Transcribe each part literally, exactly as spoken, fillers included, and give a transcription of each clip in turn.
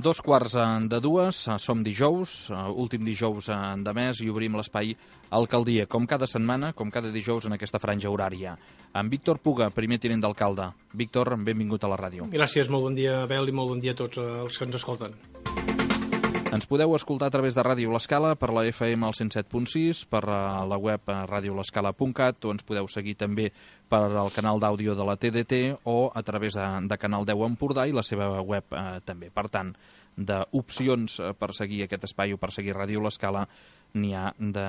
Dos quarts de dues, som dijous, últim dijous de mes, i obrim l'espai Alcaldia, com cada setmana, com cada dijous en aquesta franja horària. Amb Víctor Puga, primer tinent d'alcalde. Víctor, benvingut a la ràdio. Gràcies, molt bon dia, Abel, i molt bon dia a tots els que ens escolten. Ens podeu escoltar a través de Ràdio L'Escala, per la F M al cent set punt sis, per la web ràdio l'escala punt cat, o ens podeu seguir també per al canal d'àudio de la T D T o a través de, de Canal deu Empordà i la seva web eh, també. Per tant, d'opcions per seguir aquest espai o per seguir Ràdio L'Escala n'hi ha de,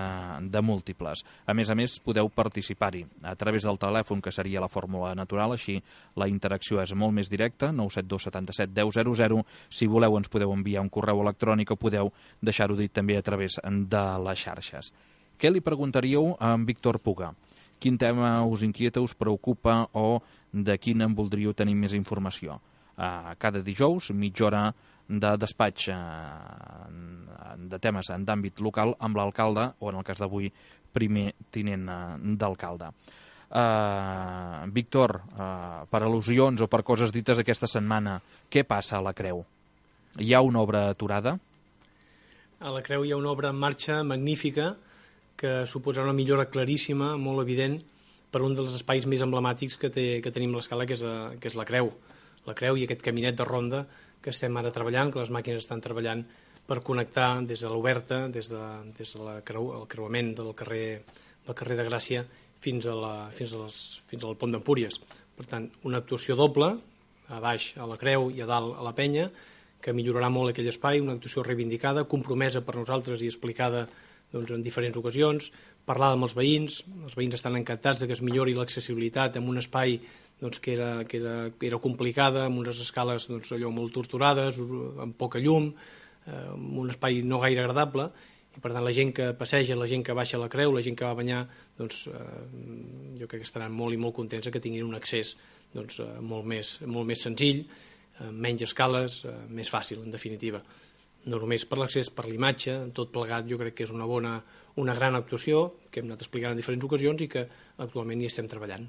de múltiples. A més a més, podeu participar-hi a través del telèfon, que seria la fórmula natural, així la interacció és molt més directa, nou set dos setanta set deu zero zero. Si voleu, ens podeu enviar un correu electrònic o podeu deixar-ho dit també a través de les xarxes. Què li preguntaríeu a en Víctor Puga? Quin tema us inquieta, us preocupa o de quin en voldríeu tenir més informació? Uh, cada dijous, mitja hora de despatx uh, de temes d'àmbit local amb l'alcalde, o en el cas d'avui, primer tinent uh, d'alcalde. Uh, Víctor, uh, per al·lusions o per coses dites aquesta setmana, què passa a la Creu? Hi ha una obra aturada? A la Creu hi ha una obra en marxa magnífica que suposarà una millora claríssima, molt evident, per un dels espais més emblemàtics que, té, que tenim a l'Escala, que, és a, que és la Creu. La Creu i aquest caminet de ronda que estem ara treballant, que les màquines estan treballant per connectar des de l'Oberta, des, de, des del de creu, el creuament del carrer, del carrer de Gràcia fins, a la, fins, a les, fins al pont d'Empúries. Per tant, una actuació doble, a baix a la Creu i a dalt a la Penya, que millorarà molt aquell espai, una actuació reivindicada, compromesa per nosaltres i explicada doncs, en diferents ocasions, parlar amb els veïns, els veïns estan encantats de que es millori l'accessibilitat en un espai doncs, que, era, que, era, que era complicada, amb unes escales doncs, allò molt torturades, amb poca llum, eh, amb un espai no gaire agradable, i per tant la gent que passeja, la gent que baixa a la Creu, la gent que va a banyar, doncs, eh, jo crec que estaran molt i molt contents que tinguin un accés doncs, eh, molt, més, molt més senzill, eh, menys escales, eh, més fàcil, en definitiva. No només per l'accés, per l'imatge, tot plegat jo crec que és una bona, una gran actuació que hem anat explicant en diferents ocasions i que actualment hi estem treballant.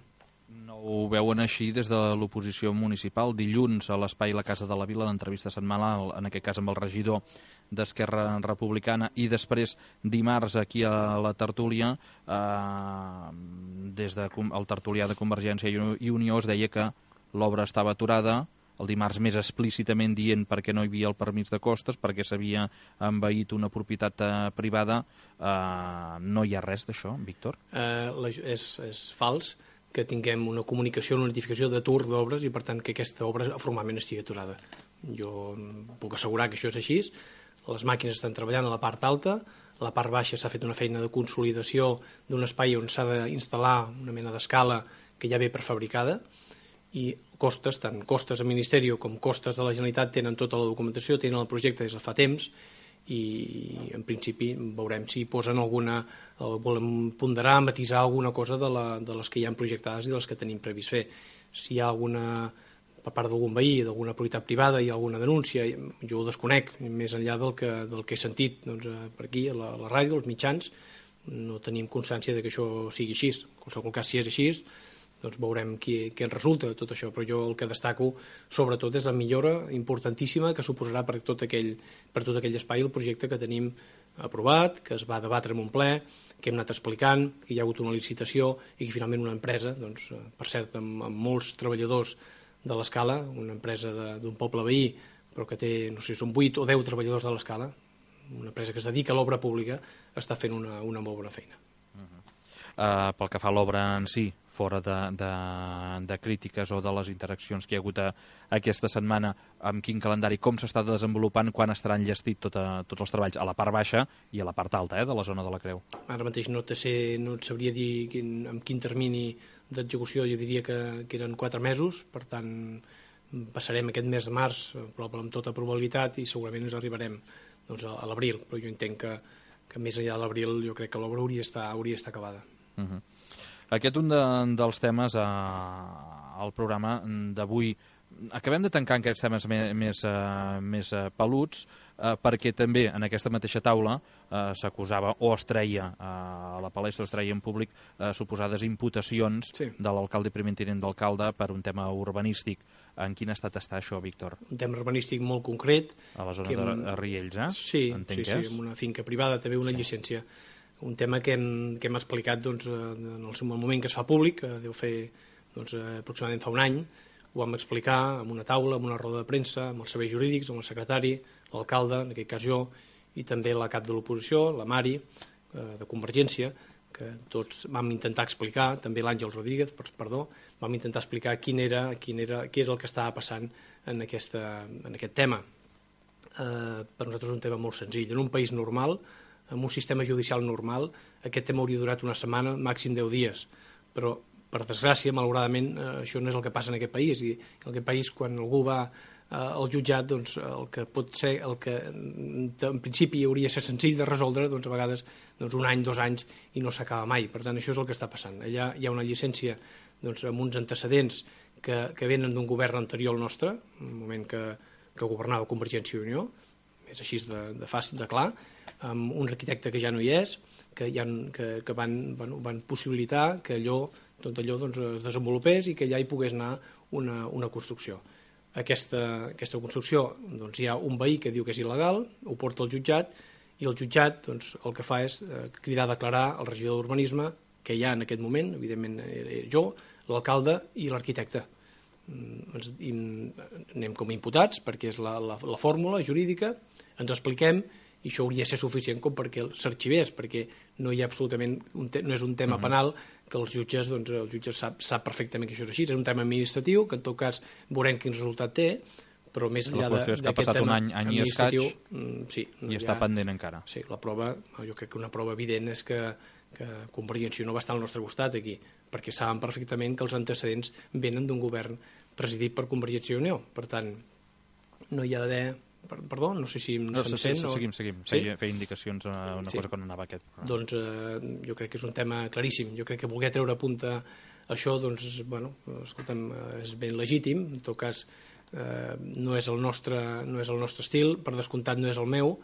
No ho veuen així des de l'oposició municipal. Dilluns a l'espai La Casa de la Vila, l'entrevista setmanal, en aquest cas amb el regidor d'Esquerra Republicana, i després dimarts aquí a la tertúlia, eh, des del de, tertulià de Convergència i Unió es deia que l'obra estava aturada, el dimarts més explícitament dient perquè no hi havia el permís de costes, perquè s'havia envaït una propietat eh, privada. Eh, no hi ha res d'això, Víctor? Eh, la, és, és fals que tinguem una comunicació, una notificació d'atur d'obres i, per tant, que aquesta obra formalment estigui aturada. Jo puc assegurar que això és així. Les màquines estan treballant a la part alta, a la part baixa s'ha fet una feina de consolidació d'un espai on s'ha d'instal·lar una mena d'escala que ja ve prefabricada, i costes, tant costes al Ministeri com costes de la Generalitat, tenen tota la documentació, tenen el projecte des de fa temps, i en principi veurem si posen alguna, volem ponderar, matisar alguna cosa de, la, de les que hi ha projectades i de les que tenim previst fer. Si hi ha alguna, per part d'algun veí, d'alguna propietat privada, hi ha alguna denúncia, jo ho desconec, més enllà del que, del que he sentit doncs, per aquí, a la, a la ràdio, als mitjans, no tenim constància de que això sigui així. En qualsevol cas, si és així, doncs veurem què, què en resulta de tot això, però jo el que destaco sobretot és la millora importantíssima que suposarà per tot aquell, per tot aquell espai el projecte que tenim aprovat, que es va debatre en un ple, que hem anat explicant, que hi ha hagut una licitació i que finalment una empresa, doncs, per cert, amb, amb molts treballadors de l'Escala, una empresa d'un poble veí, però que té, no sé, són vuit o deu treballadors de l'Escala, una empresa que es dedica a l'obra pública, està fent una, una molt bona feina. Uh-huh. Uh, pel que fa a l'obra en si, fora de, de, de crítiques o de les interaccions que hi ha hagut a, aquesta setmana, amb quin calendari, com s'està desenvolupant, quan estarà enllestit tot a, tots els treballs a la part baixa i a la part alta eh, de la zona de la Creu? Ara mateix no, te sé, no et sabria dir quin, amb quin termini d'execució, jo diria que, que eren quatre mesos, per tant passarem aquest mes de març probablement amb tota probabilitat i segurament ens arribarem doncs, a, a l'abril, però jo entenc que, que més enllà de l'abril jo crec que l'obra hauria d'estar hauria d'estar acabada. Uh-huh. Aquest un de, dels temes eh, al programa d'avui. Acabem de tancar aquests temes més, més, uh, més uh, peluts uh, perquè també en aquesta mateixa taula uh, s'acusava o es treia uh, a la palestra, es treia en públic uh, suposades imputacions sí. de l'alcalde i primer tinent d'alcalde per un tema urbanístic. En quin estat està això, Víctor? Un tema urbanístic molt concret. A la zona que hem... de Riells, eh? Sí, Entenc sí, que sí, és. amb una finca privada, també una Sí. llicència. Un tema que hem, que hem explicat doncs, en el seu moment que es fa públic, que deu fer doncs, aproximadament fa un any, ho vam explicar en una taula, en una roda de premsa, amb els serveis jurídics, amb el secretari, l'alcalde, en aquest cas jo, i també la cap de l'oposició, la Mari, eh, de Convergència, que tots vam intentar explicar, també l'Àngel Rodríguez, perdó, vam intentar explicar quin era, quin era, què és el que estava passant en, aquesta, en aquest tema. Eh, per nosaltres és un tema molt senzill. En un país normal, en un sistema judicial normal, aquest tema hauria durat una setmana, màxim deu dies, però per desgràcia, malauradament, eh, això no és el que passa en aquest país, i en aquest país quan algú va eh, al jutjat, doncs el que pot ser, el que en principi hauria de ser senzill de resoldre, doncs a vegades doncs, un any, dos anys, i no s'acaba mai. Per tant, això és el que està passant. Allà hi ha una llicència doncs, amb uns antecedents que, que venen d'un govern anterior al nostre, en un moment que, que governava Convergència i Unió, és així de, de fàcil, de clar, amb un arquitecte que ja no hi és, que, hi ha, que, que van, bueno, van possibilitar que allò, tot allò doncs, es desenvolupés i que allà hi pogués anar una, una construcció. Aquesta, aquesta construcció, doncs, hi ha un veí que diu que és il·legal, ho porta al jutjat, i el jutjat doncs, el que fa és eh, cridar a declarar el regidor d'urbanisme, que hi ha en aquest moment, evidentment eh, jo, l'alcalde i l'arquitecte. Ens, i anem com a imputats, perquè és la, la, la fórmula jurídica, ens expliquem, i això hauria de ser suficient com perquè s'arxivés, perquè no hi ha absolutament un te no és un tema uh -huh. penal que els jutges, doncs, el jutge sap, sap perfectament que això és així, és un tema administratiu, que en tot cas veurem quin resultat té, però més enllà d'aquest tema un any, any administratiu, i escaig, mm, sí, i està pendent encara. Sí, la prova, jo crec que una prova evident és que, que Convergència no va estar al nostre costat aquí, perquè saben perfectament que els antecedents venen d'un govern presidit per Convergència i Unió, per tant, no hi ha d'haver... Perdó, no sé si em no, se'n sí, sent. Sí, seguim, seguim. Sí? Feia, feia indicacions a una sí. cosa que no anava aquest. Doncs eh, jo crec que és un tema claríssim. Jo crec que voler treure a punta això, doncs, bueno, escolta'm, és ben legítim. En tot cas, eh, no és el nostre, no és el nostre estil, per descomptat no és el meu,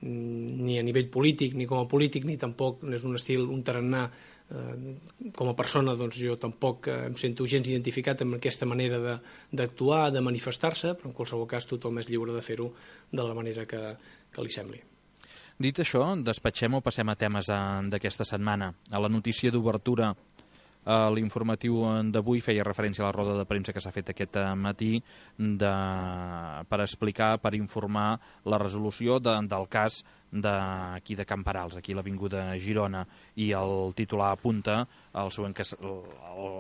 ni a nivell polític, ni com a polític, ni tampoc no és un estil, un tarannà. Eh, com a persona, doncs jo tampoc eh, em sento gens identificat amb aquesta manera d'actuar, de, de manifestar-se, però en qualsevol cas tothom és lliure de fer-ho de la manera que, que li sembli. Dit això, despatxem o passem a temes d'aquesta setmana. A la notícia d'obertura, a l'informatiu d'avui feia referència a la roda de premsa que s'ha fet aquest matí de, per explicar, per informar la resolució de, del cas d'aquí de Camperals, aquí a l'avinguda Girona, i el titular apunta el, següent que, el, el,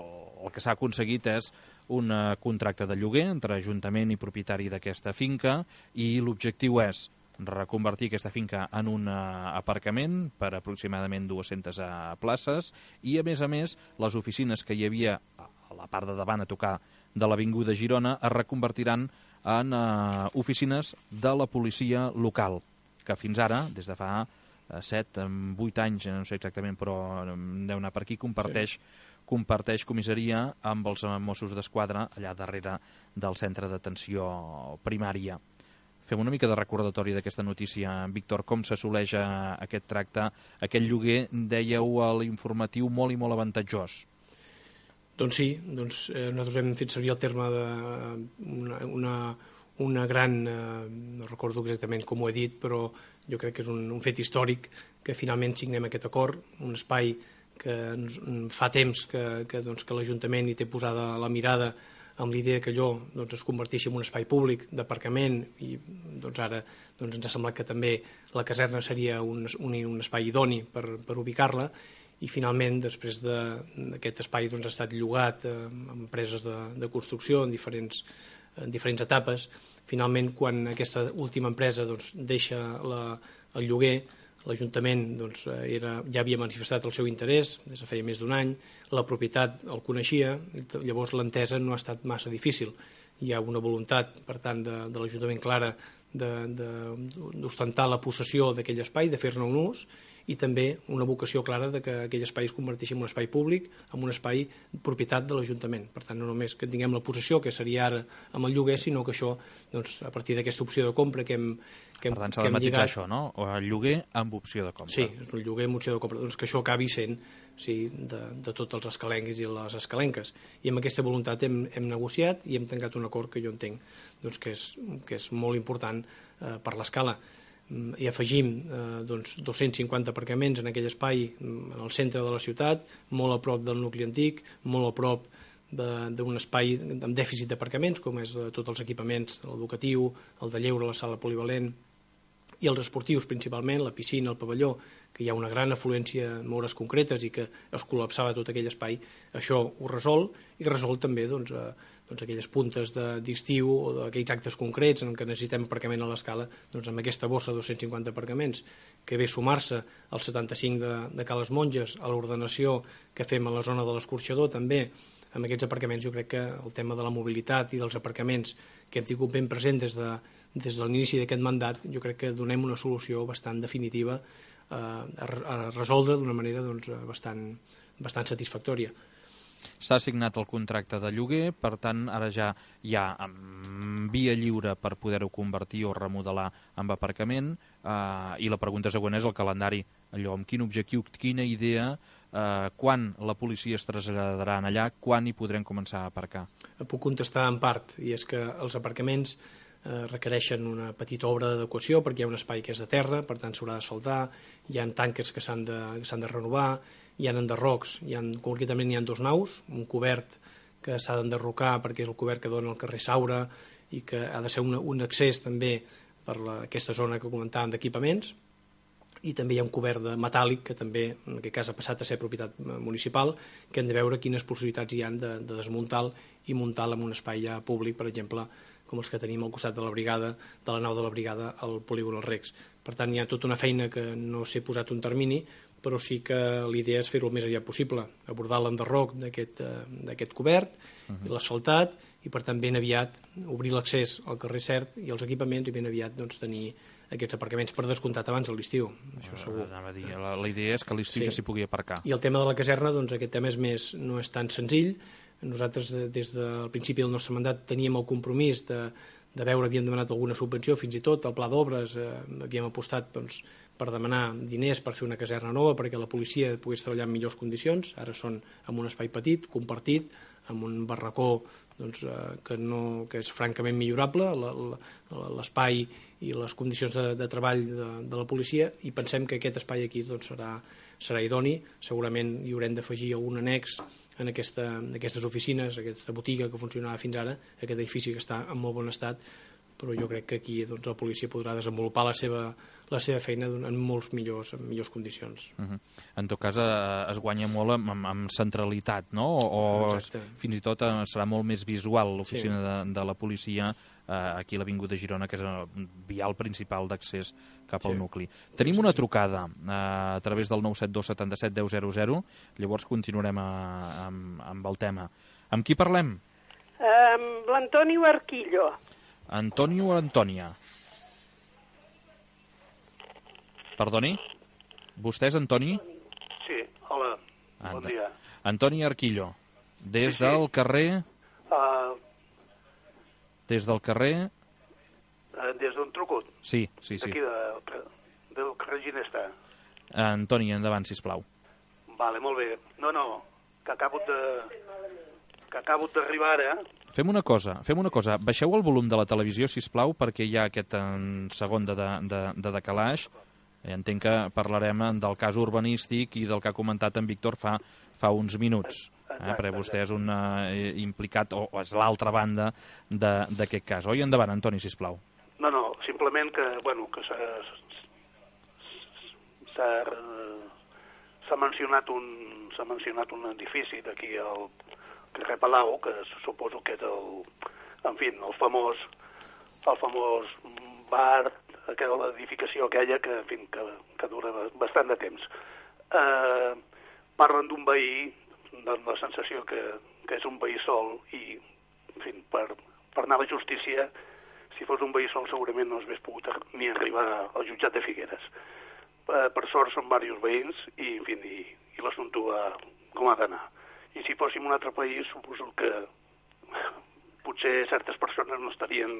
el que s'ha aconseguit és un contracte de lloguer entre Ajuntament i propietari d'aquesta finca, i l'objectiu és reconvertir aquesta finca en un aparcament per aproximadament dues-centes places, i a més a més les oficines que hi havia a la part de davant a tocar de l'avinguda Girona es reconvertiran en uh, oficines de la policia local, que fins ara, des de fa set, vuit anys, no sé exactament, però deu anar per aquí, comparteix, sí. comparteix comissaria amb els Mossos d'Esquadra allà darrere del centre d'atenció primària. Fem una mica de recordatori d'aquesta notícia, Víctor, com s'assoleix aquest tracte, aquest lloguer, dèieu a l'informatiu, molt i molt avantatjós. Doncs sí, doncs, eh, nosaltres hem fet servir el terme d'una una, una gran, eh, no recordo exactament com ho he dit, però jo crec que és un, un fet històric que finalment signem aquest acord, un espai que ens, fa temps que, que, doncs, que l'Ajuntament hi té posada la mirada amb l'idea que allò doncs, es converteixi en un espai públic d'aparcament, i doncs, ara doncs, ens ha semblat que també la caserna seria un, un, un espai idoni per, per ubicar-la, i finalment després d'aquest de, espai doncs, ha estat llogat eh, a empreses de, de construcció en diferents, en diferents etapes. Finalment, quan aquesta última empresa doncs, deixa la, el lloguer, l'Ajuntament doncs, era, ja havia manifestat el seu interès des de feia més d'un any, la propietat el coneixia, llavors l'entesa no ha estat massa difícil. Hi ha una voluntat, per tant, de, de l'Ajuntament clara d'ostentar la possessió d'aquell espai, de fer-ne un ús, i també una vocació clara de que aquell espai es converteixi en un espai públic, en un espai propietat de l'Ajuntament. Per tant, no només que tinguem la possessió, que seria ara amb el lloguer, sinó que això, doncs, a partir d'aquesta opció de compra que hem, que hem, per tant, s'ha de matitzar això, no? O el lloguer amb opció de compra. Sí, és un lloguer amb opció de compra. Doncs que això acabi sent sí, de, de tots els escalencs i les escalenques. I amb aquesta voluntat hem, hem negociat i hem tancat un acord que jo entenc doncs, que, és, que és molt important eh, per l'escala. I afegim eh, doncs, dos-cents cinquanta aparcaments en aquell espai en el centre de la ciutat, molt a prop del nucli antic, molt a prop d'un espai amb dèficit d'aparcaments, com és eh, tots els equipaments, l'educatiu, el de lleure, la sala polivalent, i els esportius principalment, la piscina, el pavelló, que hi ha una gran afluència en hores concretes i que es col·lapsava tot aquell espai, això ho resol i resol també doncs, eh, doncs aquelles puntes d'estiu o d'aquells actes concrets en què necessitem aparcament a l'escala, doncs amb aquesta bossa de dos-cents cinquanta aparcaments que ve sumar-se als setanta-cinc de, de Cales Monges, a l'ordenació que fem a la zona de l'escorxador també, amb aquests aparcaments jo crec que el tema de la mobilitat i dels aparcaments que hem tingut ben present des de, des de l'inici d'aquest mandat, jo crec que donem una solució bastant definitiva eh, a, a resoldre d'una manera doncs, bastant, bastant satisfactòria. S'ha signat el contracte de lloguer, per tant, ara ja hi ha via lliure per poder-ho convertir o remodelar amb aparcament, eh, i la pregunta següent és el calendari, allò, amb quin objectiu, quina idea, eh, quan la policia es traslladarà allà, quan hi podrem començar a aparcar? Puc contestar en part, i és que els aparcaments eh, requereixen una petita obra d'adequació perquè hi ha un espai que és de terra, per tant s'haurà d'asfaltar, hi ha tanques que s'han de, que s'han de renovar, hi ha enderrocs, hi ha, concretament hi ha dos naus, un cobert que s'ha d'enderrocar perquè és el cobert que dona al carrer Saura i que ha de ser un, un accés també per la, aquesta zona que comentàvem d'equipaments, i també hi ha un cobert de metàl·lic que també en aquest cas ha passat a ser propietat municipal, que hem de veure quines possibilitats hi ha de, de desmuntar i muntar en un espai ja públic, per exemple, com els que tenim al costat de la brigada, de la nau de la brigada al polígon Els Recs. Per tant, hi ha tota una feina que no s'ha posat un termini, però sí que l'idea és fer-ho el més aviat possible, abordar l'enderroc d'aquest cobert, uh-huh. l'asfaltat, i per tant ben aviat obrir l'accés al carrer Cert i els equipaments i ben aviat doncs, tenir aquests aparcaments per descomptat abans de l'estiu, això segur. A dir, la, la idea és que a l'estiu sí. ja s'hi pugui aparcar. I el tema de la caserna, doncs aquest tema és més, no és tan senzill. Nosaltres des del principi del nostre mandat teníem el compromís de, de veure, havíem demanat alguna subvenció, fins i tot el pla d'obres, eh, havíem apostat doncs, per demanar diners per fer una caserna nova perquè la policia pogués treballar en millors condicions. Ara són en un espai petit, compartit, amb un barracó doncs, eh, que, no, que és francament millorable, l'espai i les condicions de, de treball de, de la policia, i pensem que aquest espai aquí doncs, serà, serà idoni. Segurament hi haurem d'afegir algun annex en, aquesta, en aquestes oficines, aquesta botiga que funcionava fins ara, aquest edifici que està en molt bon estat, però jo crec que aquí doncs, la policia podrà desenvolupar la seva, la seva feina en molts millors, en millors condicions. Uh-huh. En tot cas, eh, es guanya molt amb, amb, amb centralitat, no? O es, fins i tot eh, serà molt més visual l'oficina sí. de, de la policia eh, aquí a l'Avinguda de Girona, que és el vial principal d'accés cap al sí. nucli. Tenim una trucada eh, a través del nou set dos setanta-set deu zero zero, llavors continuarem a, amb, amb el tema. Amb qui parlem? Amb um, l'Antonio Arquillo. Antonio o Antònia? Perdoni? Vostè és Antoni? Sí, hola, Ant bon dia. Antoni Arquillo, des sí, sí. del carrer... Uh, des del carrer... Uh, des d'on truco? Sí, sí, sí. D'aquí, de, del carrer Ginesta. Antoni, endavant, sisplau. Vale, molt bé. No, no, que acabo de... que acabo d'arribar ara... Fem una cosa, fem una cosa. Baixeu el volum de la televisió, sisplau, perquè hi ha aquest en segon de, de, de decalaix. Entenc que parlarem del cas urbanístic i del que ha comentat en Víctor fa, fa uns minuts. Eh? Perquè vostè és un eh, implicat, o, o és l'altra banda d'aquest cas. Oi? Endavant, Antoni, sisplau. No, no, simplement que, bueno, que s'ha s'ha mencionat un s'ha mencionat un edifici d'aquí al carrer Palau, que suposo que és el, en fi, el famós, el famós bar, aquella edificació aquella que, en fi, que, que dura bastant de temps. Eh, parlen d'un veí, de la sensació que, que és un veí sol i, en fi, per, per anar a la justícia, si fos un veí sol segurament no s'hagués pogut ni arribar al jutjat de Figueres. per sort són diversos veïns i, en fi, i, i l'assumpte va com ha d'anar. I si fóssim un altre país, suposo que potser certes persones no estarien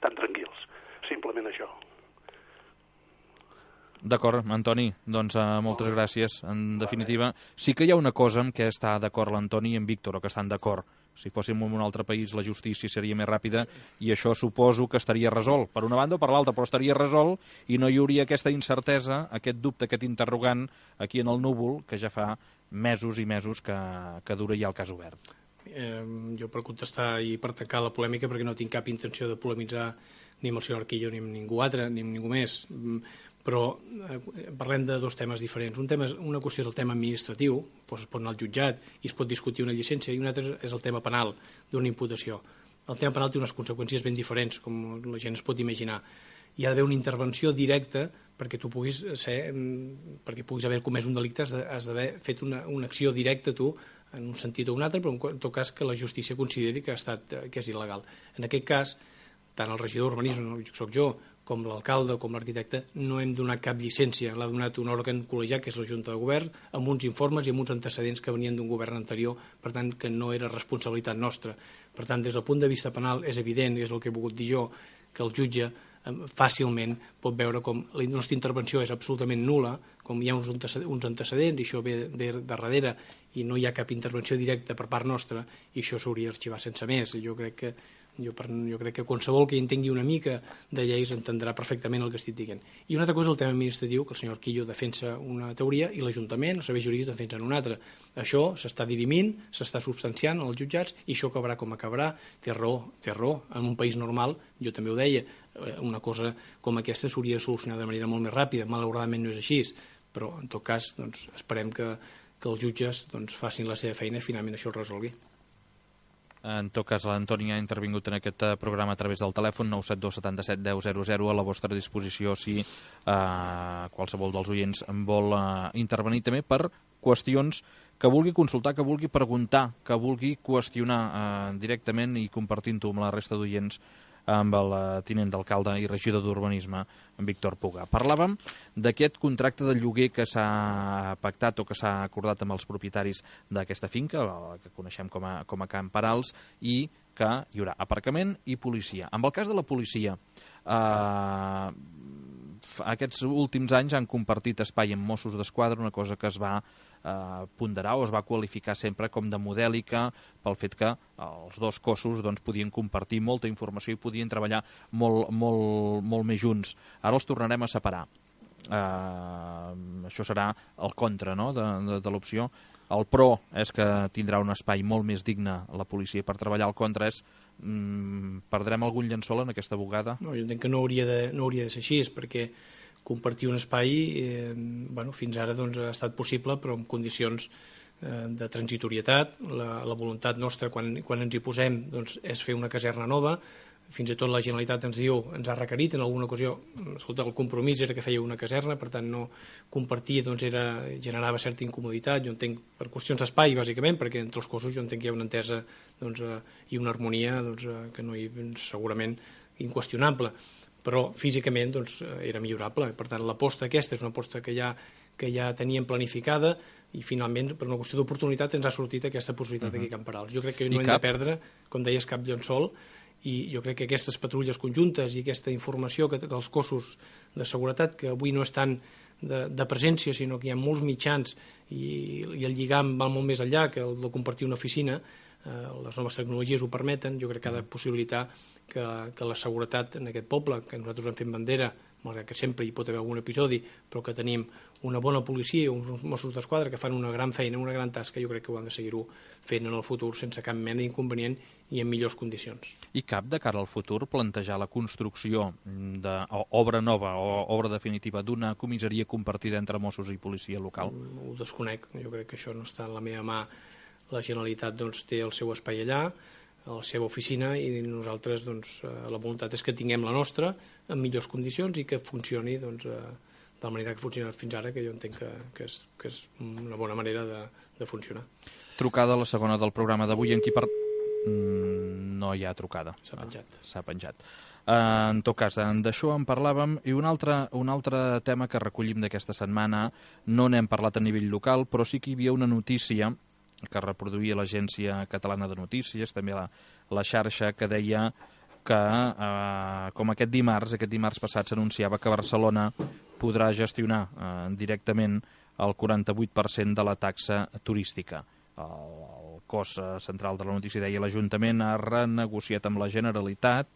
tan tranquils. Simplement això. D'acord, Antoni, doncs uh, moltes gràcies. En definitiva, sí que hi ha una cosa amb què està d'acord l'Antoni i en Víctor, o que estan d'acord. Si fóssim en un altre país, la justícia seria més ràpida i això suposo que estaria resolt, per una banda o per l'altra, però estaria resolt i no hi hauria aquesta incertesa, aquest dubte, aquest interrogant aquí en el núvol, que ja fa mesos i mesos que, que dura ja el cas obert. Eh, jo per contestar i per tancar la polèmica, perquè no tinc cap intenció de polemitzar ni amb el senyor Arquillo ni amb ningú altre, ni amb ningú més, però eh, parlem de dos temes diferents. Un tema, una qüestió és el tema administratiu, doncs es pot anar al jutjat i es pot discutir una llicència, i un altre és el tema penal d'una imputació. El tema penal té unes conseqüències ben diferents, com la gent es pot imaginar. Hi ha d'haver una intervenció directa perquè tu puguis ser, perquè puguis haver comès un delicte, has d'haver fet una, una acció directa tu, en un sentit o un altre, però en tot cas que la justícia consideri que ha estat, que és il·legal. En aquest cas, tant el regidor d'urbanisme, que soc jo, com l'alcalde o com l'arquitecte, no hem donat cap llicència. L'ha donat un òrgan col·legiat, que és la Junta de Govern, amb uns informes i amb uns antecedents que venien d'un govern anterior, per tant, que no era responsabilitat nostra. Per tant, des del punt de vista penal, és evident, és el que he volgut dir jo, que el jutge fàcilment pot veure com la nostra intervenció és absolutament nul·la, com hi ha uns antecedents, i això ve de darrere, i no hi ha cap intervenció directa per part nostra, i això s'hauria d'arxivar sense més. Jo crec que Jo, per, jo crec que qualsevol que entengui una mica de lleis entendrà perfectament el que estic dient. I una altra cosa és el tema administratiu, que el senyor Arquillo defensa una teoria i l'Ajuntament, els serveis jurídics defensen una altra. Això s'està dirimint, s'està substanciant als jutjats i això acabarà com acabarà. Té raó, té raó. En un país normal, jo també ho deia, una cosa com aquesta s'hauria de solucionar de manera molt més ràpida. Malauradament no és així, però en tot cas doncs, esperem que, que els jutges doncs, facin la seva feina i finalment això es resolgui. En tot cas, l'Antoni ha intervingut en aquest programa a través del telèfon nou set dos set set deu zero zero a la vostra disposició si eh, qualsevol dels oients en vol eh, intervenir també per qüestions que vulgui consultar, que vulgui preguntar, que vulgui qüestionar eh, directament i compartint-ho amb la resta d'oients amb el tinent d'alcalde i regidor d'Urbanisme, en Víctor Puga. Parlàvem d'aquest contracte de lloguer que s'ha pactat o que s'ha acordat amb els propietaris d'aquesta finca, que coneixem com a, com a Camp Perals, i que hi haurà aparcament i policia. En el cas de la policia, eh, aquests últims anys han compartit espai amb Mossos d'Esquadra, una cosa que es va eh, ponderar o es va qualificar sempre com de modèlica pel fet que els dos cossos doncs, podien compartir molta informació i podien treballar molt, molt, molt més junts. Ara els tornarem a separar. Eh, això serà el contra, no?, de, de, de l'opció. El pro és que tindrà un espai molt més digne la policia per treballar. El contra és mm, perdrem algun llençol en aquesta bugada? No, jo entenc que no hauria de, no hauria de ser així, perquè compartir un espai eh, bueno, fins ara doncs, ha estat possible, però en condicions eh, de transitorietat. La, la voluntat nostra, quan, quan ens hi posem, doncs, és fer una caserna nova. Fins i tot la Generalitat ens diu, ens ha requerit en alguna ocasió, escolta, el compromís era que feia una caserna, per tant no compartir doncs, era, generava certa incomoditat. Jo entenc per qüestions d'espai, bàsicament, perquè entre els cossos jo entenc que hi ha una entesa doncs, eh, i una harmonia doncs, eh, que no hi, segurament inqüestionable, però físicament doncs, era millorable. Per tant, l'aposta aquesta és una aposta que ja, que ja teníem planificada i finalment, per una qüestió d'oportunitat, ens ha sortit aquesta possibilitat uh-huh. aquí a Camp Perals. Jo crec que no I hem cap... de perdre, com deies, cap llençol, i jo crec que aquestes patrulles conjuntes i aquesta informació que, dels cossos de seguretat, que avui no estan de, de presència, sinó que hi ha molts mitjans i, i el lligam va molt més enllà que el de compartir una oficina, eh, les noves tecnologies ho permeten. Jo crec que ha de possibilitar que, que la seguretat en aquest poble, que nosaltres hem fet bandera, malgrat que sempre hi pot haver algun episodi, però que tenim una bona policia i uns Mossos d'Esquadra que fan una gran feina, una gran tasca, jo crec que ho han de seguir-ho fent en el futur sense cap mena d'inconvenient i en millors condicions. I cap de cara al futur plantejar la construcció d'obra nova o obra definitiva d'una comissaria compartida entre Mossos i policia local? Ho desconec, jo crec que això no està en la meva mà. La Generalitat doncs, té el seu espai allà, a la seva oficina, i nosaltres doncs, la voluntat és que tinguem la nostra en millors condicions i que funcioni doncs, de la manera que ha funcionat fins ara, que jo entenc que, que, és, que és una bona manera de, de funcionar. Trucada la segona del programa d'avui, en qui per... mm, no hi ha trucada. S'ha penjat. S'ha penjat. Uh, en tot cas, d'això en parlàvem, i un altre, un altre tema que recollim d'aquesta setmana, no n'hem parlat a nivell local, però sí que hi havia una notícia que reproduïa l'Agència Catalana de Notícies, també la, la xarxa, que deia que, eh, com aquest dimarts, aquest dimarts passat s'anunciava que Barcelona podrà gestionar eh, directament el quaranta-vuit per cent de la taxa turística. El, el cos central de la notícia deia l'Ajuntament ha renegociat amb la Generalitat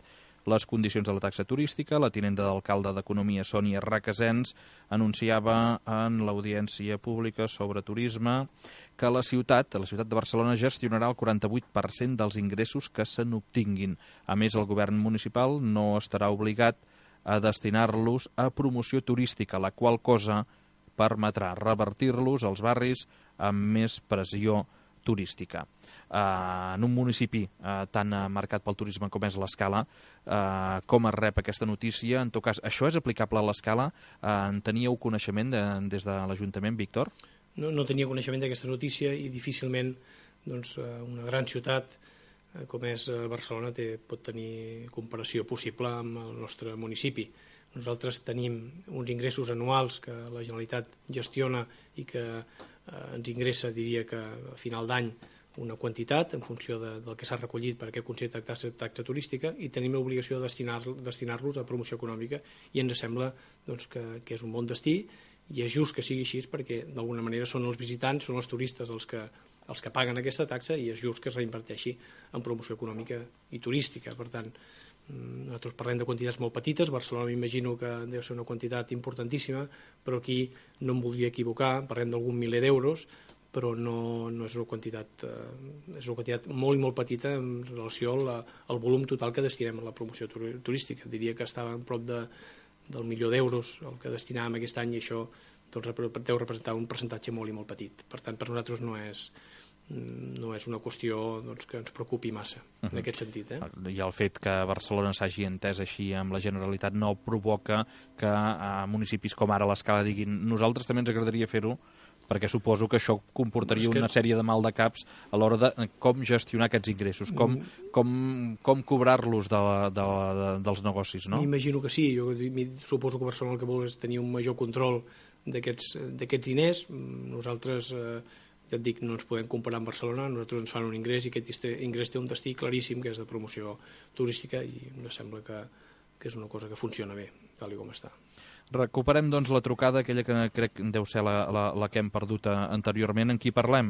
les condicions de la taxa turística. La tinenta d'alcalde d'Economia, Sònia Requesens, anunciava en l'audiència pública sobre turisme que la ciutat, la ciutat de Barcelona, gestionarà el quaranta-vuit per cent dels ingressos que se n'obtinguin. A més, el govern municipal no estarà obligat a destinar-los a promoció turística, la qual cosa permetrà revertir-los als barris amb més pressió turística. Uh, en un municipi uh, tan uh, marcat pel turisme com és l'Escala, uh, com es rep aquesta notícia? En tot cas, això és aplicable a l'Escala? Uh, en teníeu coneixement de, des de l'Ajuntament, Víctor? No, no tenia coneixement d'aquesta notícia i difícilment doncs, una gran ciutat uh, com és Barcelona té, pot tenir comparació possible amb el nostre municipi. Nosaltres tenim uns ingressos anuals que la Generalitat gestiona i que uh, ens ingressa, diria que a final d'any, una quantitat en funció de, del que s'ha recollit per aquest concepte de taxa, taxa turística, i tenim l'obligació de destinar-los destinar a promoció econòmica, i ens sembla doncs, que, que és un bon destí, i és just que sigui així perquè d'alguna manera són els visitants, són els turistes els que, els que paguen aquesta taxa, i és just que es reinverteixi en promoció econòmica i turística. Per tant, nosaltres parlem de quantitats molt petites. Barcelona m'imagino que deu ser una quantitat importantíssima, però aquí no em voldria equivocar, parlem d'algun miler d'euros, però no, no és una quantitat eh, és una quantitat molt i molt petita en relació al, al volum total que destinem a la promoció turística. Diria que estava en prop de, del milió d'euros el que destinàvem aquest any, i això doncs, deu representar un percentatge molt i molt petit. Per tant, per nosaltres no és, no és una qüestió doncs, que ens preocupi massa, uh-huh. en aquest sentit. Eh? I el fet que Barcelona s'hagi entès així amb la Generalitat no provoca que a municipis com ara l'Escala diguin nosaltres també ens agradaria fer-ho, perquè suposo que això comportaria que... una sèrie de mal de caps a l'hora de com gestionar aquests ingressos, com, com, com cobrar-los de, de, de, dels negocis, no? M'imagino que sí. Jo suposo que Barcelona el que vol és tenir un major control d'aquests diners. Nosaltres, eh, ja et dic, no ens podem comparar amb Barcelona. Nosaltres ens fan un ingrés i aquest ingrés té un destí claríssim, que és de promoció turística, i em sembla que, que és una cosa que funciona bé, tal com està. Recuperem, doncs, la trucada, aquella que crec que deu ser la, la, la que hem perdut anteriorment. En qui parlem?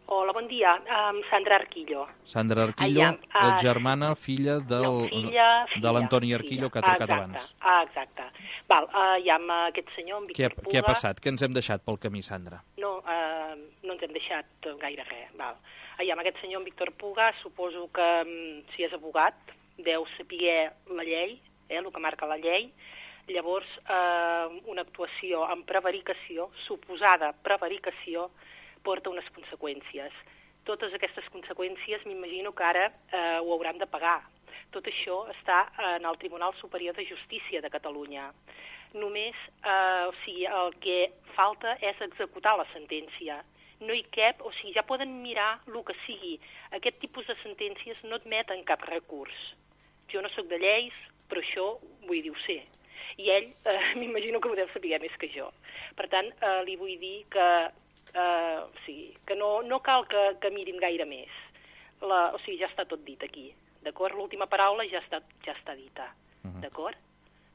Hola, bon dia. Um, Sandra Arquillo. Sandra Arquillo, Ai, uh, uh, germana, filla, del, no, filla, de l'Antoni Arquillo, que ha trucat exacte, abans. Ah, exacte. Val, uh, hi ha aquest senyor, en Víctor què, Puga. Què ha passat? Què ens hem deixat pel camí, Sandra? No, uh, no ens hem deixat gaire res. Val. Hi ha aquest senyor, en Víctor Puga, suposo que um, si és abogat, deu saber la llei, eh, el que marca la llei. Llavors, eh, una actuació amb prevaricació, suposada prevaricació, porta unes conseqüències. Totes aquestes conseqüències m'imagino que ara eh, ho hauran de pagar. Tot això està en el Tribunal Superior de Justícia de Catalunya. Només, eh, o sigui, el que falta és executar la sentència. No hi cap, o sigui, ja poden mirar el que sigui. Aquest tipus de sentències no admeten cap recurs. Jo no sóc de lleis, però això vull dir, ho sé. I ell, eh, m'imagino que ho deu saber més que jo. Per tant, eh, li vull dir que, eh, o sigui, que no, no cal que, que mirin gaire més. La, o sigui, ja està tot dit aquí, d'acord? L'última paraula ja està, ja està dita, uh-huh. d'acord?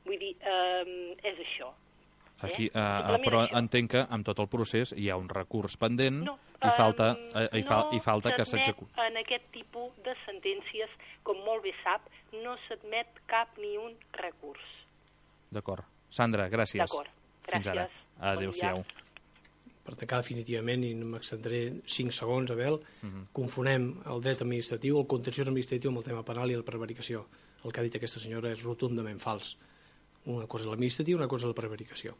Vull dir, eh, és això. Aquí, eh? uh, però això. Entenc que amb tot el procés hi ha un recurs pendent no, i falta, eh, i fa, no i falta que s'executi. En aquest tipus de sentències, com molt bé sap, no s'admet cap ni un recurs. D'acord. Sandra, gràcies. D'acord. Gràcies. Fins ara. Adéu-siau. Per tancar definitivament, i m'extendré cinc segons, Abel, uh-huh. confonem el dret administratiu, el contenciós administratiu amb el tema penal i la prevaricació. El que ha dit aquesta senyora és rotundament fals. Una cosa és l'administratiu, una cosa és la prevaricació.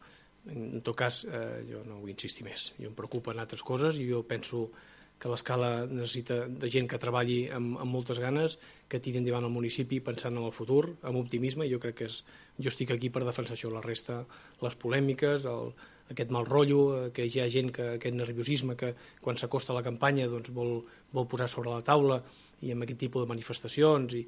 En tot cas, eh, jo no vull insistir més. Jo em preocupen altres coses i jo penso que l'Escala necessita de gent que treballi amb, amb moltes ganes, que tiri endavant el municipi pensant en el futur, amb optimisme, i jo crec que és, jo estic aquí per defensar això. La resta, les polèmiques, el, aquest mal rotllo, que hi ha gent que aquest nerviosisme que quan s'acosta a la campanya doncs, vol, vol posar sobre la taula i amb aquest tipus de manifestacions, i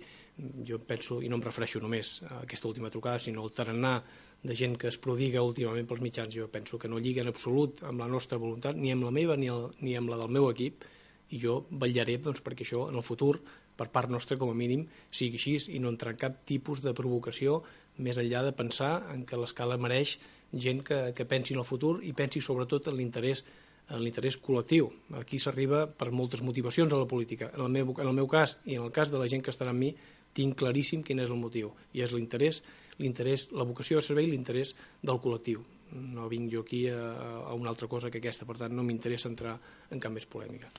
jo penso, i no em refereixo només a aquesta última trucada, sinó al tarannà de gent que es prodiga últimament pels mitjans, jo penso que no lliga en absolut amb la nostra voluntat, ni amb la meva ni, el, ni amb la del meu equip, i jo vetllaré doncs, perquè això en el futur, per part nostra com a mínim, sigui així i no entrar en cap tipus de provocació més enllà de pensar en que l'Escala mereix gent que, que pensi en el futur i pensi sobretot en l'interès en l'interès col·lectiu. Aquí s'arriba per moltes motivacions a la política. En el, meu, en el meu cas i en el cas de la gent que estarà amb mi, tinc claríssim quin és el motiu, i és l'interès, l'interès, la vocació de servei i l'interès del col·lectiu. No vinc jo aquí a, a una altra cosa que aquesta, per tant no m'interessa entrar en cap més polèmica.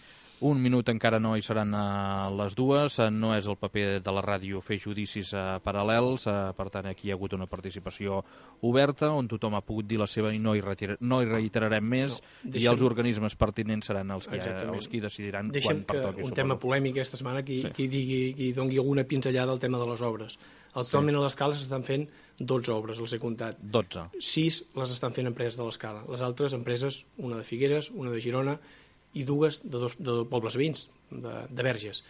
Un minut encara no hi seran a les dues, no és el paper de la ràdio fer judicis uh, paral·lels, uh, per tant aquí hi ha hagut una participació oberta on tothom ha pogut dir la seva i no hi, retira, no hi reiterarem més, no, deixem... i els organismes pertinents seran els que, els que decidiran deixem quan pertoqui. Un tema polèmic aquesta setmana qui, sí. qui, digui, qui doni alguna pinzellada al tema de les obres. Actualment sí. a l'Escala s'estan fent dotze obres, les he comptat. dotze. sis les estan fent empreses de l'Escala. Les altres empreses, una de Figueres, una de Girona, i dues de dos, de dos pobles veïns, de, de Verges.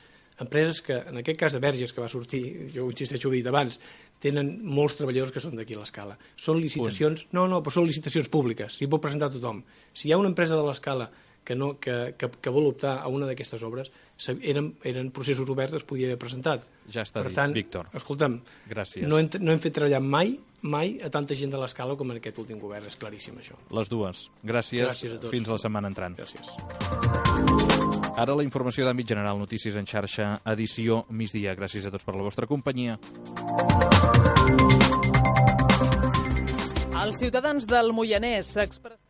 Empreses que, en aquest cas de Verges, que va sortir, jo insisteixo, ho he dit abans, tenen molts treballadors que són d'aquí a l'Escala. Són licitacions... Punt. No, no, però són licitacions públiques, s'hi pot presentar tothom. Si hi ha una empresa de l'Escala que, no, que, que, que vol optar a una d'aquestes obres, eren, eren processos oberts, es podia haver presentat. Ja està per dit, tant, Víctor. Escolta'm, gràcies. No hem, no hem fet treballar mai, mai a tanta gent de l'Escala com en aquest últim govern, és claríssim això. Les dues. Gràcies, gràcies a tots. Fins la setmana entrant. Gràcies. Ara la informació d'àmbit general, notícies en xarxa, edició migdia. Gràcies a tots per la vostra companyia. Els ciutadans del Moianès s'expressen